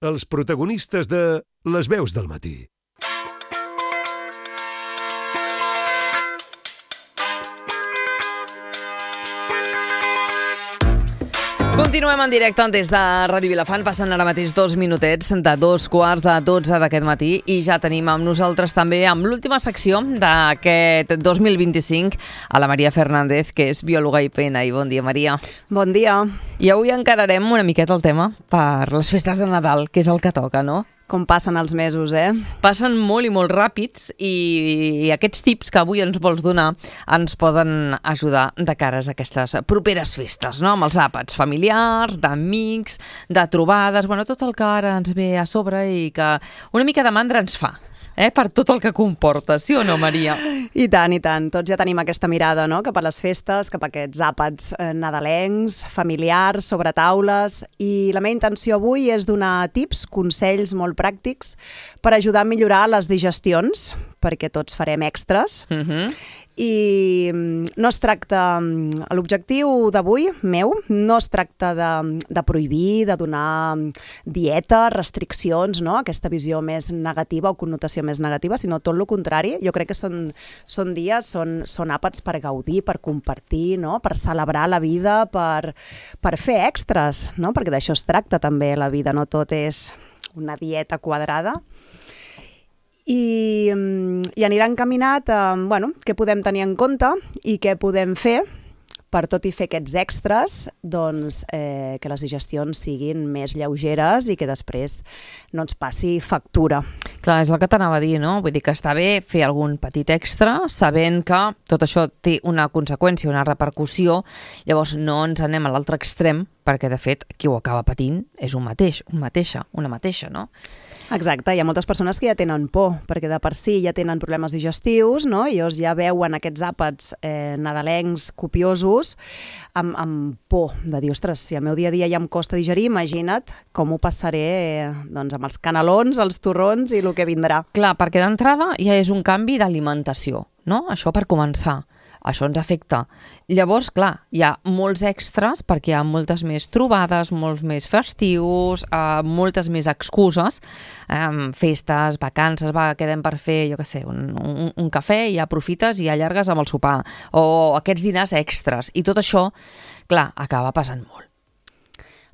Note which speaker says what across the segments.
Speaker 1: els protagonistes de Les veus del matí.
Speaker 2: Continuem en directe des de Ràdio Vilafant. Passen ara mateix 2 minutets de 2:15 d'aquest matí i ja tenim amb nosaltres també amb l'última secció d'aquest 2025 a la Maria Fernández, que és biòloga i PNI. Bon dia, Maria.
Speaker 3: Bon dia.
Speaker 2: I avui encararem una miqueta el tema per les festes de Nadal, que és el que toca, no?
Speaker 3: Com passen els mesos,
Speaker 2: Passen molt i molt ràpids i aquests tips que avui ens vols donar ens poden ajudar de cares a aquestes properes festes, no? Amb els àpats familiars, d'amics, de trobades, tot el que ara ens ve a sobre i que una mica de mandra ens fa. Per tot el que comporta, sí o no, Maria?
Speaker 3: I tant, i tant. Tots ja tenim aquesta mirada, no?, cap a les festes, cap a aquests àpats nadalencs, familiars, sobre taules, i la meva intenció avui és donar tips, consells molt pràctics per ajudar a millorar les digestions, perquè tots farem extras. I no es tracta, l'objectiu d'avui, meu, no es tracta de prohibir, de donar dieta, restriccions, no?, aquesta visió més negativa o connotació més negativa, sinó tot el contrari. Jo crec que són dies, són àpats per gaudir, per compartir, no?, per celebrar la vida, per fer extras, no?, perquè d'això es tracta també la vida, no tot és una dieta quadrada. I anirà encaminat a què podem tenir en compte i què podem fer per tot i fer aquests extras, que les digestions siguin més lleugeres i que després no ens passi factura.
Speaker 2: Clar, és el que t'anava a dir, no? Vull dir que està bé fer algun petit extra, sabent que tot això té una conseqüència, una repercussió, llavors no ens anem a l'altre extrem, perquè de fet qui ho acaba patint és una mateixa, no?
Speaker 3: Exacte, hi ha moltes persones que ja tenen por, perquè de per si ja tenen problemes digestius, no? I llavors ja veuen aquests àpats nadalencs copiosos amb por de dir, ostres, si el meu dia a dia ja em costa digerir, imagina't com ho passaré amb els canelons, els torrons i el que vindrà.
Speaker 2: Clar, perquè d'entrada ja és un canvi d'alimentació, no? Això per començar. Això ens afecta. Llavors, clar, hi ha molts extras perquè hi ha moltes més trobades, molts més festius, moltes més excuses, festes, vacances, quedem per fer, jo què sé, un cafè i ja aprofites i allargues amb el sopar, o aquests dinars extras. I tot això, clar, acaba passant molt.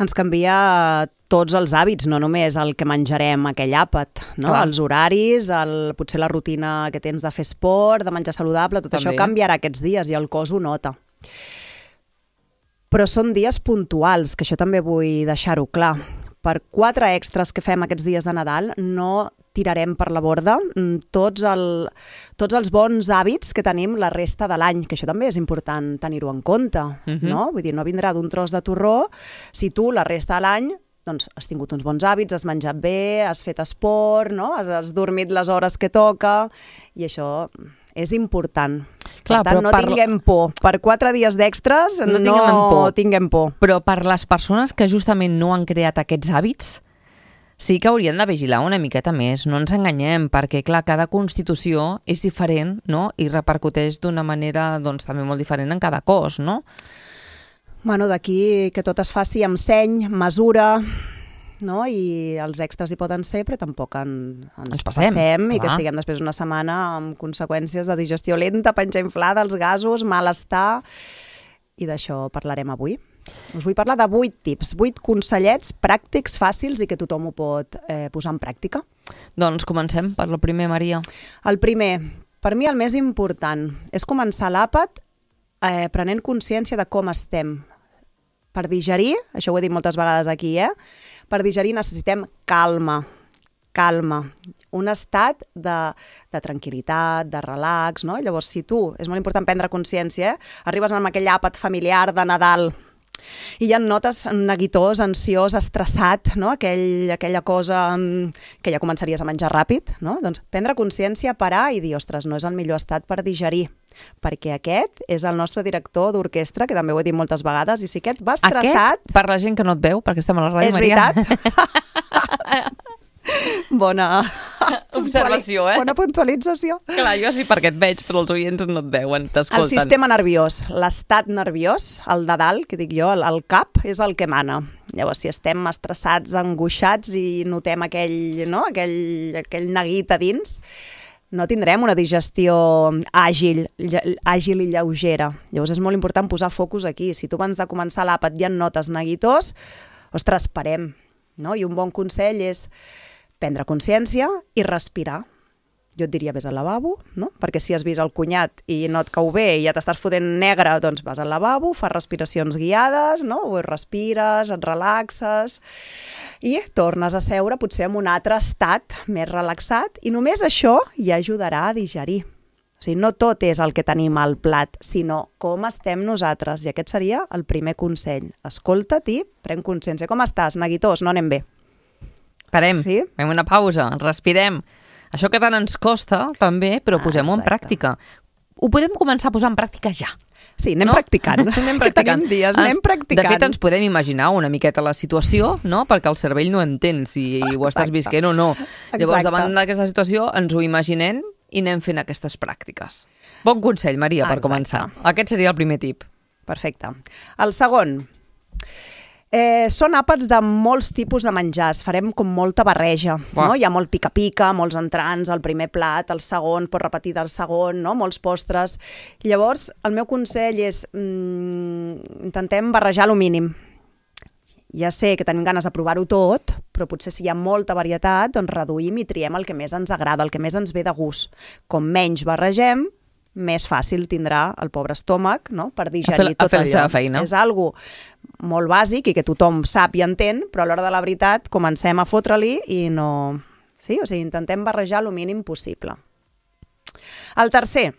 Speaker 3: Ens canvia tots els hàbits, no només el que menjarem aquell àpat, no? Els horaris, potser la rutina que tens de fer esport, de menjar saludable, tot això canviarà aquests dies i el cos ho nota. Però són dies puntuals, que això també vull deixar-ho clar. Per 4 extras que fem aquests dies de Nadal no tirarem per la borda tots els bons hàbits que tenim la resta de l'any, que això també és important tenir-ho en compte, no? Vull dir, no vindrà d'un tros de torró si tu la resta de l'any has tingut uns bons hàbits, has menjat bé, has fet esport, no? Has dormit les hores que toca, i això és important.
Speaker 2: Clar,
Speaker 3: per tant, no tinguem por. Per 4 dies d'extras no tinguem por.
Speaker 2: Però per les persones que justament no han creat aquests hàbits, sí que haurien de vigilar una miqueta més, no ens enganyem, perquè clar, cada constitució és diferent, no? I repercuteix d'una manera també molt diferent en cada cos, no?
Speaker 3: D'aquí que tot es faci amb seny, mesura, no? I els extras hi poden ser, però tampoc ens passem i que estiguem després una setmana amb conseqüències de digestió lenta, panxa inflada, els gasos, malestar, i d'això parlarem avui. Us vull parlar de 8 tips, 8 consellets pràctics, fàcils i que tothom ho pot posar en pràctica.
Speaker 2: Doncs comencem per el primer, Maria.
Speaker 3: El primer, per mi el més important, és començar l'àpat prenent consciència de com estem. Per digerir, això ho he dit moltes vegades aquí, per digerir necessitem calma, un estat de tranquil·litat, de relax, no? Llavors, si tu, és molt important prendre consciència, arribes amb aquell àpat familiar de Nadal i ja et notes neguitós, ansiós, estressat, no? Aquella cosa que ja començaries a menjar ràpid, no? Doncs prendre consciència, parar i dir, ostres, no és el millor estat per digerir, perquè aquest és el nostre director d'orquestra, que també ho he dit moltes vegades, i si aquest va estressat...
Speaker 2: Aquest, per la gent que no et veu, perquè estem a la ràdio,
Speaker 3: és
Speaker 2: Maria.
Speaker 3: És veritat? Bona
Speaker 2: observació,
Speaker 3: Bona puntualització.
Speaker 2: Clar, jo sí perquè et veig, però els oients no et veuen, t'escolten.
Speaker 3: El sistema nerviós, l'estat nerviós, el de dalt, que dic jo, el cap, és el que mana. Llavors, si estem estressats, angoixats i notem aquell neguit a dins, no tindrem una digestió àgil i lleugera. Llavors és molt important posar focus aquí. Si tu abans de començar l'àpat ja en notes neguitós, ostres, parem. No? I un bon consell és prendre consciència i respirar. Jo et diria, vés al lavabo, no? Perquè si has vist el cunyat i no et cau bé i ja t'estàs fotent negre, doncs vas al lavabo, fas respiracions guiades, no? O respires, et relaxes i tornes a seure potser en un altre estat més relaxat i només això ja ajudarà a digerir. O sigui, no tot és el que tenim al plat, sinó com estem nosaltres. I aquest seria el primer consell. Escolta't i pren consciència. Com estàs, neguitós? No anem bé.
Speaker 2: Parem,
Speaker 3: Sí?
Speaker 2: fem una pausa, respirem. Això que tant ens costa, també, però posem-ho en pràctica. Ho podem començar a posar en pràctica ja.
Speaker 3: Sí, anem practicant.
Speaker 2: Anem
Speaker 3: Que tenim dies, anem practicant.
Speaker 2: De fet, ens podem imaginar una miqueta la situació, no? Perquè el cervell no entén si ho estàs visquent o no. Llavors, davant d'aquesta situació, ens ho imaginem i anem fent aquestes pràctiques. Bon consell, Maria, per començar. Aquest seria el primer tip.
Speaker 3: Perfecte. El segon. Són àpats de molts tipus de menjars, farem com molta barreja, no? Hi ha molt pica-pica, molts entrants, el primer plat, el segon, pots repetir del segon, no? Molts postres. Llavors, el meu consell és intentem barrejar lo mínim. Ja sé que tenim ganes de provar-ho tot, però potser si hi ha molta varietat, doncs reduïm i triem el que més ens agrada, el que més ens ve de gust. Com menys barregem, més fàcil tindrà el pobre estómac, no? Per digerir tot allò.
Speaker 2: A fer la seva feina.
Speaker 3: És algo molt bàsic i que tothom sap i entén, però a l'hora de la veritat comencem a fotre-li i no... Sí? O sigui, intentem barrejar el mínim possible. El tercer,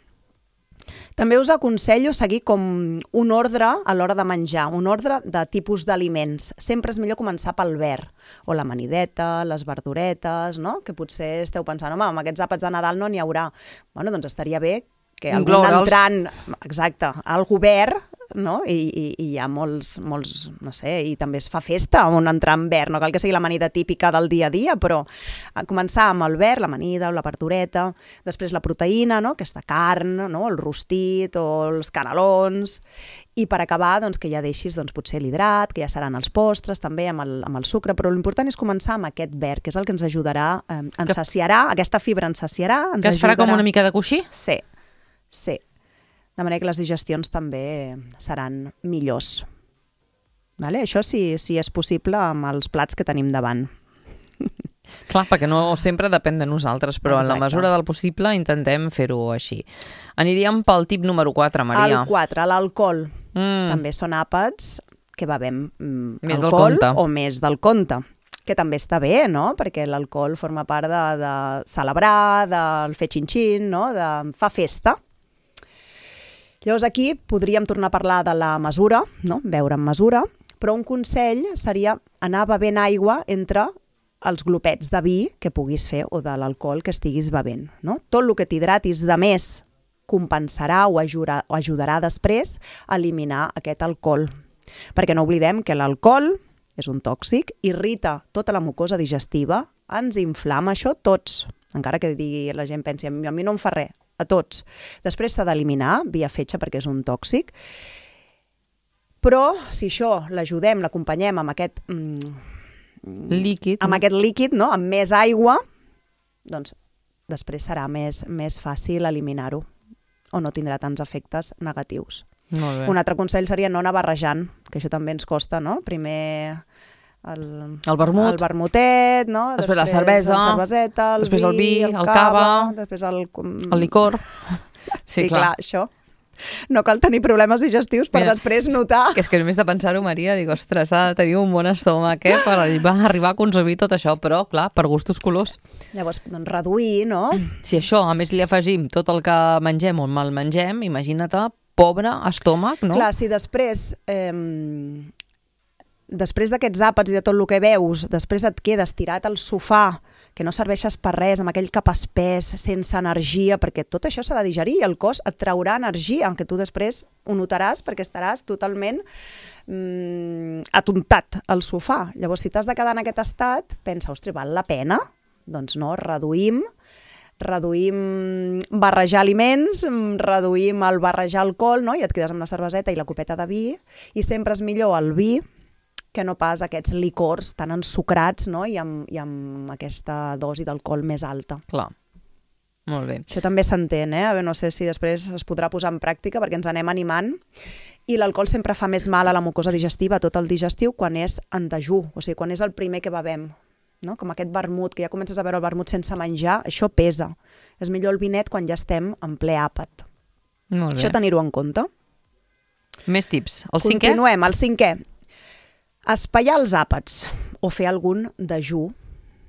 Speaker 3: també us aconsello seguir com un ordre a l'hora de menjar, un ordre de tipus d'aliments. Sempre és millor començar pel verd, o l'amanideta, les verduretes, no? Que potser esteu pensant, home, amb aquests àpats de Nadal no n'hi haurà. Bueno, doncs estaria bé que algun entrant, exacte, algú verd, no? I hi ha molts, no sé, i també es fa festa amb un entrant verd, no cal que sigui l'amanida típica del dia a dia, però començar amb el verd, l'amanida o la verdureta, després la proteïna, no? Aquesta carn, no? El rostit o els canelons, i per acabar doncs, que ja deixis doncs, potser l'hidrat, que ja seran els postres també amb el sucre, però l'important és començar amb aquest verd, que és el que ens ajudarà, ens saciarà, aquesta fibra ens saciarà, ens
Speaker 2: que es farà com una mica de coixí?
Speaker 3: Sí. Sí, de manera que les digestions també seran millors. Vale? Això sí és possible amb els plats que tenim davant.
Speaker 2: Clar, perquè no sempre depèn de nosaltres, però
Speaker 3: Exacte.
Speaker 2: en la mesura del possible intentem fer-ho així. Aniríem pel tip número 4, Maria.
Speaker 3: El 4, l'alcohol. També són àpats que bevem
Speaker 2: Més del
Speaker 3: alcohol
Speaker 2: compte.
Speaker 3: o més del compte, que també està bé, no? Perquè l'alcohol forma part de celebrar, del fer xin-xin, no? De fa festa. Llavors aquí podríem tornar a parlar de la mesura, no? Beure amb mesura, però un consell seria anar bevent aigua entre els glopets de vi que puguis fer o de l'alcohol que estiguis bevent, no? Tot el que t'hidratis de més compensarà o ajudarà després a eliminar aquest alcohol. Perquè no oblidem que l'alcohol és un tòxic, irrita tota la mucosa digestiva, ens inflama això tots, encara que digui la gent pensi, a mi no em fa res, a tots. Després s'ha d'eliminar via fetge perquè és un tòxic, però si això l'ajudem, l'acompanyem amb aquest
Speaker 2: líquid,
Speaker 3: amb aquest líquid, no? Amb més aigua, doncs després serà més fàcil eliminar-ho o no tindrà tants efectes negatius.
Speaker 2: Molt bé.
Speaker 3: Un altre consell seria no anar barrejant, que això també ens costa, no? Primer el
Speaker 2: vermut,
Speaker 3: el vermutet, no?
Speaker 2: Després la cervesa,
Speaker 3: la cerveseta,
Speaker 2: després el vi, el cava,
Speaker 3: després
Speaker 2: el licor.
Speaker 3: Sí, clar, això. No cal tenir problemes digestius per després notar...
Speaker 2: Que és que només de pensar-ho, Maria, dic, ostres, ha de tenir un bon estómac per arribar a consumir tot això, però, clar, per gustos colors.
Speaker 3: Llavors, doncs, reduir, no?
Speaker 2: Si això, a més, li afegim tot el que mengem o mal mengem, imagina't, pobre estómac, no?
Speaker 3: Clar, si després... després d'aquests àpats i de tot el que veus, després et quedes tirat al sofà, que no serveixes per res, amb aquell cap espès, sense energia, perquè tot això s'ha de digerir i el cos et traurà energia, aunque tu després ho notaràs perquè estaràs totalment atontat al sofà. Llavors, si t'has de quedar en aquest estat, pensa, ostres, val la pena? Doncs no, reduïm barrejar aliments, reduïm el barrejar alcohol, no? I et quedes amb la cerveseta i la copeta de vi, i sempre és millor el vi que no pas aquests licors tan ensucrats, no? I amb aquesta dosi d'alcohol més alta.
Speaker 2: Clar. Molt bé.
Speaker 3: Això també s'entén, A veure, no sé si després es podrà posar en pràctica perquè ens anem animant. I l'alcohol sempre fa més mal a la mucosa digestiva, tot el digestiu, quan és en dejú, o sigui, quan és el primer que bevem. No? Com aquest vermut, que ja comences a veure el vermut sense menjar, això pesa. És millor el vinet quan ja estem en ple àpat.
Speaker 2: Molt bé.
Speaker 3: Això tenir-ho en compte.
Speaker 2: Més tips. El cinquè?
Speaker 3: Continuem, el cinquè. Espaiar els àpats o fer algun dejú,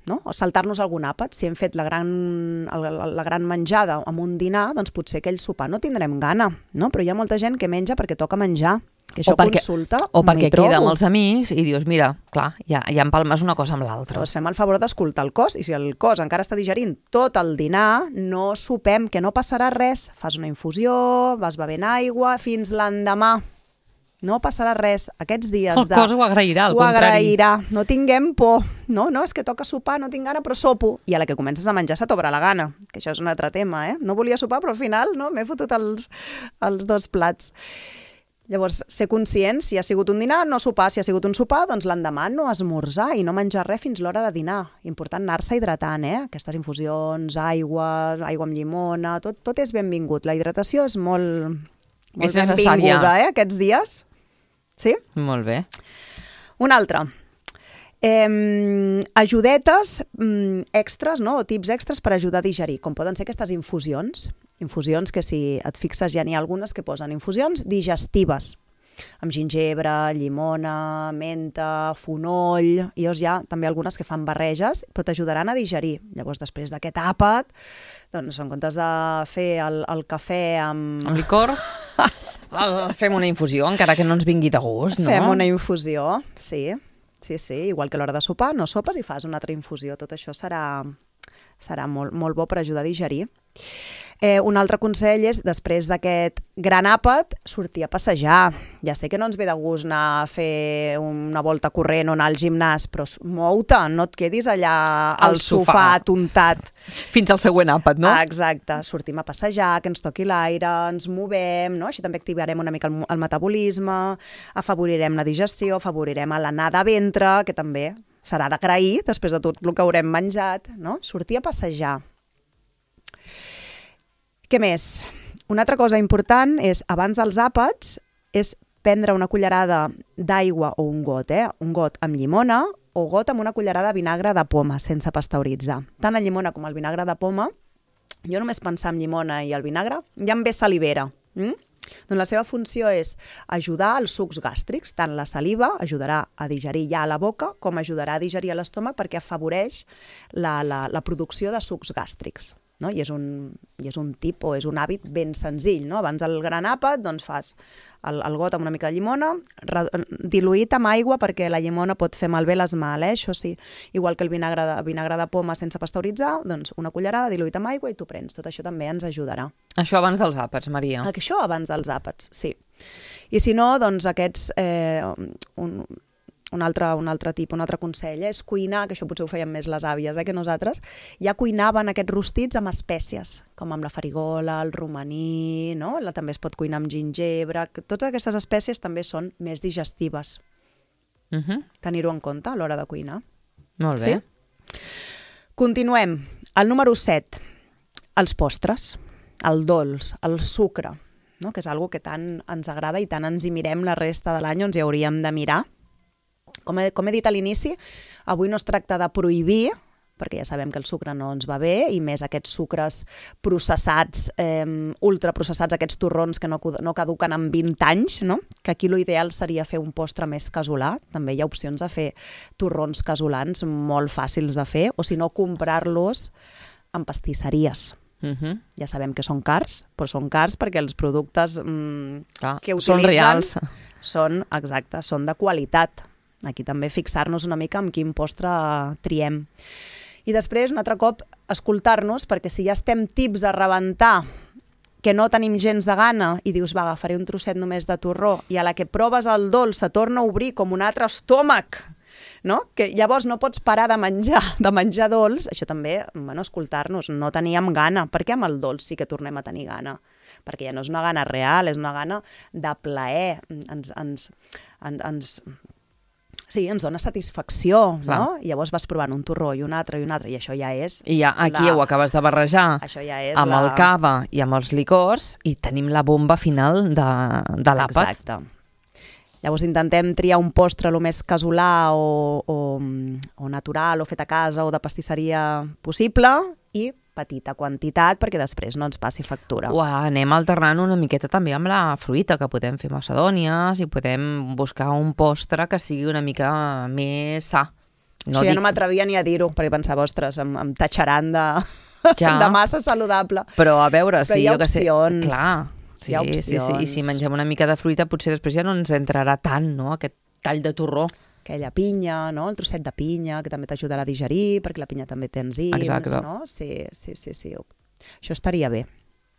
Speaker 3: no? O saltar-nos algun àpat. Si hem fet la gran menjada amb un dinar, doncs potser aquell sopar no tindrem gana, no? Però hi ha molta gent que menja perquè toca menjar. Que això consulta,
Speaker 2: o perquè queda amb els amics i dius, mira, clar, ja empalmes una cosa amb l'altra.
Speaker 3: Doncs fem el favor d'escoltar el cos, i si el cos encara està digerint tot el dinar, no sopem, que no passarà res. Fas una infusió, vas bevent aigua, fins l'endemà. No passarà res. Aquests dies
Speaker 2: el cos ho agrairà, al contrari.
Speaker 3: Ho agrairà. No tinguem por. No, és que toca sopar, no tinc gana, però sopo. I a la que comences a menjar se t'obre la gana, que això és un altre tema, No volia sopar, però al final m'he fotut els 2 plats. Llavors, ser conscient, si ha sigut un dinar, no sopar. Si ha sigut un sopar, doncs l'endemà no esmorzar i no menjar res fins l'hora de dinar. Important anar-se hidratant, Aquestes infusions, aigua amb llimona, tot és benvingut. La hidratació és molt benvinguda, aquests dies. Sí?
Speaker 2: Molt bé.
Speaker 3: Un altre. Ajudetes extras, no? O tips extras per ajudar a digerir, com poden ser aquestes infusions. Infusions que, si et fixes, ja n'hi ha algunes que posen infusions digestives, amb gingebre, llimona, menta, fonoll, i hi ha també algunes que fan barreges, però t'ajudaran a digerir. Llavors, després d'aquest àpat, doncs, en comptes de fer el cafè amb
Speaker 2: licor, fem una infusió, encara que no ens vingui de gust, no?
Speaker 3: Fem una infusió, sí. Igual que a l'hora de sopar, no sopes i fas una altra infusió. Tot això serà molt bo per ajudar a digerir. Un altre consell és, després d'aquest gran àpat, sortir a passejar. Ja sé que no ens ve de gust anar a fer una volta corrent o anar al gimnàs, però mou-te, no et quedis allà al sofà atontat.
Speaker 2: Fins al següent àpat, no?
Speaker 3: Exacte, sortim a passejar, que ens toqui l'aire, ens movem, no? Així també activarem una mica el metabolisme, afavorirem la digestió, afavorirem l'anar de ventre, que també serà d'agrair després de tot el que haurem menjat, no? Sortir a passejar. Què més? Una altra cosa important és, abans dels àpats, és prendre una cullerada d'aigua o un got, un got amb llimona o got amb una cullerada de vinagre de poma, sense pasteuritzar. Tant la llimona com el vinagre de poma, jo només pensar en llimona i el vinagre, ja em ve salivera. Doncs la seva funció és ajudar als sucs gàstrics. Tant la saliva ajudarà a digerir ja a la boca, com ajudarà a digerir a l'estómac perquè afavoreix la producció de sucs gàstrics. No? I és un tip o és un hàbit ben senzill. No? Abans del gran àpat doncs fas el got amb una mica de llimona, diluït amb aigua perquè la llimona pot fer malbé l'esmal, això sí. Igual que el vinagre de poma sense pasteuritzar, doncs una cullerada diluït amb aigua i t'ho prens. Tot això també ens ajudarà.
Speaker 2: Això abans dels àpats, Maria.
Speaker 3: Això abans dels àpats, sí. I si no, doncs aquests... Un altre tip, un altre consell és cuinar, que això potser ho feien més les àvies que nosaltres, ja cuinaven aquests rostits amb espècies, com amb la farigola, el romaní, no? També es pot cuinar amb gingebre. Totes aquestes espècies també són més digestives. Tenir-ho en compte a l'hora de cuinar.
Speaker 2: Molt bé.
Speaker 3: Sí? Continuem. El número 7, els postres, el dolç, el sucre, no? Que és una que tant ens agrada i tant ens hi mirem la resta de l'any, ens hi hauríem de mirar. Com he dit a l'inici, avui no es tracta de prohibir, perquè ja sabem que el sucre no ens va bé, i més aquests sucres processats, ultraprocessats, aquests torrons que no caduquen en 20 anys, no? Que aquí l'ideal seria fer un postre més casolà. També hi ha opcions de fer torrons casolans molt fàcils de fer, o si no, comprar-los en pastisseries. Ja sabem que són cars, però són cars perquè els productes que utilitzen
Speaker 2: són reals.
Speaker 3: Són de qualitat. Aquí també fixar-nos una mica en quin postre triem. I després, un altre cop, escoltar-nos, perquè si ja estem tips a rebentar, que no tenim gens de gana, i dius, va, agafaré un trosset només de torró, i a la que proves el dolç se torna a obrir com un altre estómac, no? Que llavors no pots parar de menjar dolç. Això també, escoltar-nos, no teníem gana. Per què amb el dolç sí que tornem a tenir gana? Perquè ja no és una gana real, és una gana de plaer. Ens dona satisfacció, no? I llavors vas provant un torró i un altre, i això ja és...
Speaker 2: I ja aquí ho acabes de barrejar amb el cava i amb els licors i tenim la bomba final de l'àpat.
Speaker 3: Exacte. Llavors intentem triar un postre el més casolà o natural o fet a casa o de pastisseria possible i petita quantitat perquè després no ens passi factura.
Speaker 2: Anem alternant una miqueta també amb la fruita, que podem fer macedònies i podem buscar un postre que sigui una mica més sa.
Speaker 3: No ja no m'atrevia ni a dir-ho, perquè pensava, ostres, em tatxaran de massa saludable.
Speaker 2: Però a veure, sí,
Speaker 3: jo que sé...
Speaker 2: Clar, sí, i si mengem una mica de fruita potser després ja no ens entrarà tant, no?, aquest tall de torró.
Speaker 3: Aquella pinya, no? El trosset de pinya, que també t'ajudarà a digerir, perquè la pinya també té enzims,
Speaker 2: exacte.
Speaker 3: No? Sí. Això estaria bé.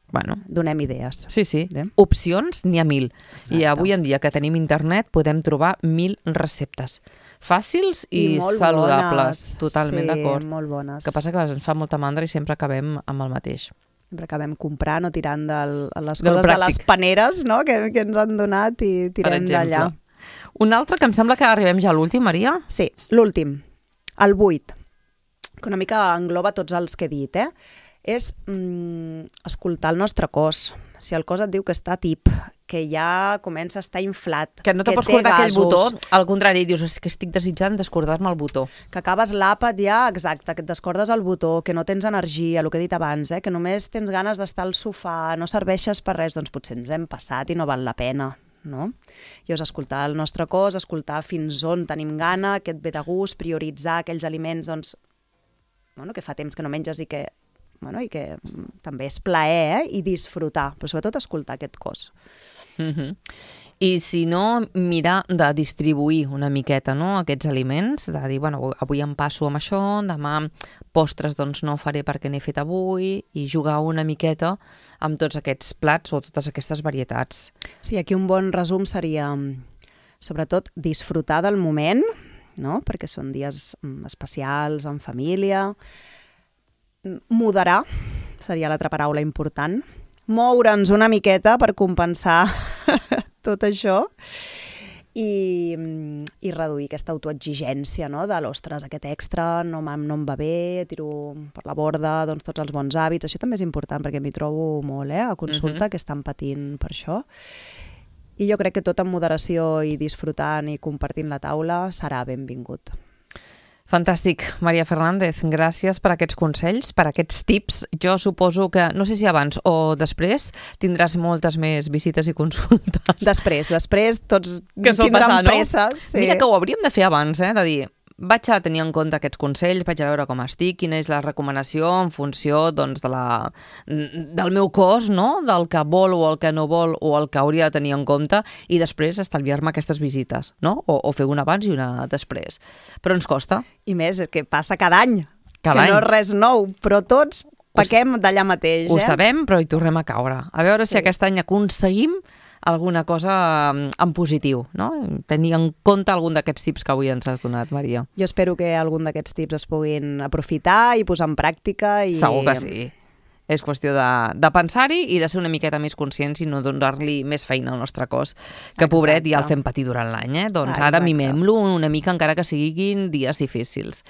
Speaker 2: Bueno.
Speaker 3: Donem idees.
Speaker 2: Sí. Opcions n'hi ha 1000. Exacte. I avui en dia que tenim internet podem trobar 1000 receptes. Fàcils i saludables.
Speaker 3: Bones.
Speaker 2: Totalment d'acord.
Speaker 3: Sí, molt bones.
Speaker 2: Que passa que ens fa molta mandra i sempre acabem amb el mateix.
Speaker 3: Sempre acabem comprant o tirant de les coses de les paneres, no? que ens han donat i tirem d'allà.
Speaker 2: Un altre que em sembla que arribem ja a l'últim, Maria.
Speaker 3: Sí, l'últim, el 8, que una mica engloba tots els que he dit, és escoltar el nostre cos. Si el cos et diu que està tip, que ja comença a estar inflat,
Speaker 2: que no te pots cordar aquell botó, al contrari, dius, és que estic desitjant descordar-me el botó.
Speaker 3: Que acabes l'àpat ja, exacte, que et descordes el botó, que no tens energia, el que he dit abans, que només tens ganes d'estar al sofà, no serveixes per res, doncs potser ens hem passat i no val la pena. No? I és escoltar el nostre cos, escoltar fins on tenim gana, què et ve de gust, prioritzar aquells aliments que fa temps que no menges i que també és plaer i disfrutar, però sobretot escoltar aquest cos.
Speaker 2: I si no, mirar de distribuir una miqueta, no?, aquests aliments, de dir, avui em passo amb això, demà postres doncs no faré perquè n'he fet avui, i jugar una miqueta amb tots aquests plats o totes aquestes varietats.
Speaker 3: Sí, aquí un bon resum seria, sobretot, disfrutar del moment, no?, perquè són dies especials, en família. Moderar seria l'altra paraula important. Moure'ns una miqueta per compensar tot això i reduir aquesta autoexigència, no? De l'ostres, aquest extra no em va bé, tiro per la borda tots els bons hàbits. Això també és important perquè m'hi trobo molt a consulta, que estan patint per això. I jo crec que tot amb moderació i disfrutant i compartint la taula serà benvingut.
Speaker 2: Fantàstic, Maria Fernández. Gràcies per aquests consells, per aquests tips. Jo suposo que, no sé si abans o després, tindràs moltes més visites i consultes.
Speaker 3: Després tots tindran pressa. Sí.
Speaker 2: Mira que ho hauríem de fer abans, de dir, vaig a tenir en compte aquests consells, vaig a veure com estic, quina és la recomanació en funció del meu cos, no? Del que vol o el que no vol o el que hauria de tenir en compte, i després estalviar-me aquestes visites, no? O fer una abans i una després. Però ens costa.
Speaker 3: I més, que passa cada any. No és res nou, però tots pequem d'allà mateix.
Speaker 2: Ho sabem, però hi tornem a caure. A veure si aquest any aconseguim alguna cosa en positiu, no? Tenir en compte algun d'aquests tips que avui ens has donat, Maria.
Speaker 3: Jo espero que algun d'aquests tips es puguin aprofitar i posar en pràctica.
Speaker 2: Segur que sí. És qüestió de pensar-hi i de ser una miqueta més conscients i no donar-li més feina al nostre cos, que pobret ja el fem patir durant l'any. Doncs ara mimem-lo una mica, encara que siguin dies difícils.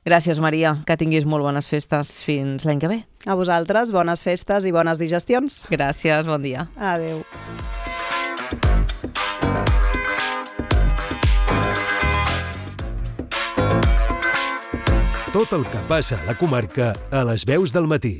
Speaker 2: Gràcies, Maria, que tinguis molt bones festes fins l'any que ve.
Speaker 3: A vosaltres, bones festes i bones digestions.
Speaker 2: Gràcies, bon dia.
Speaker 3: Adéu.
Speaker 1: Tot el que passa a la comarca a les veus del matí.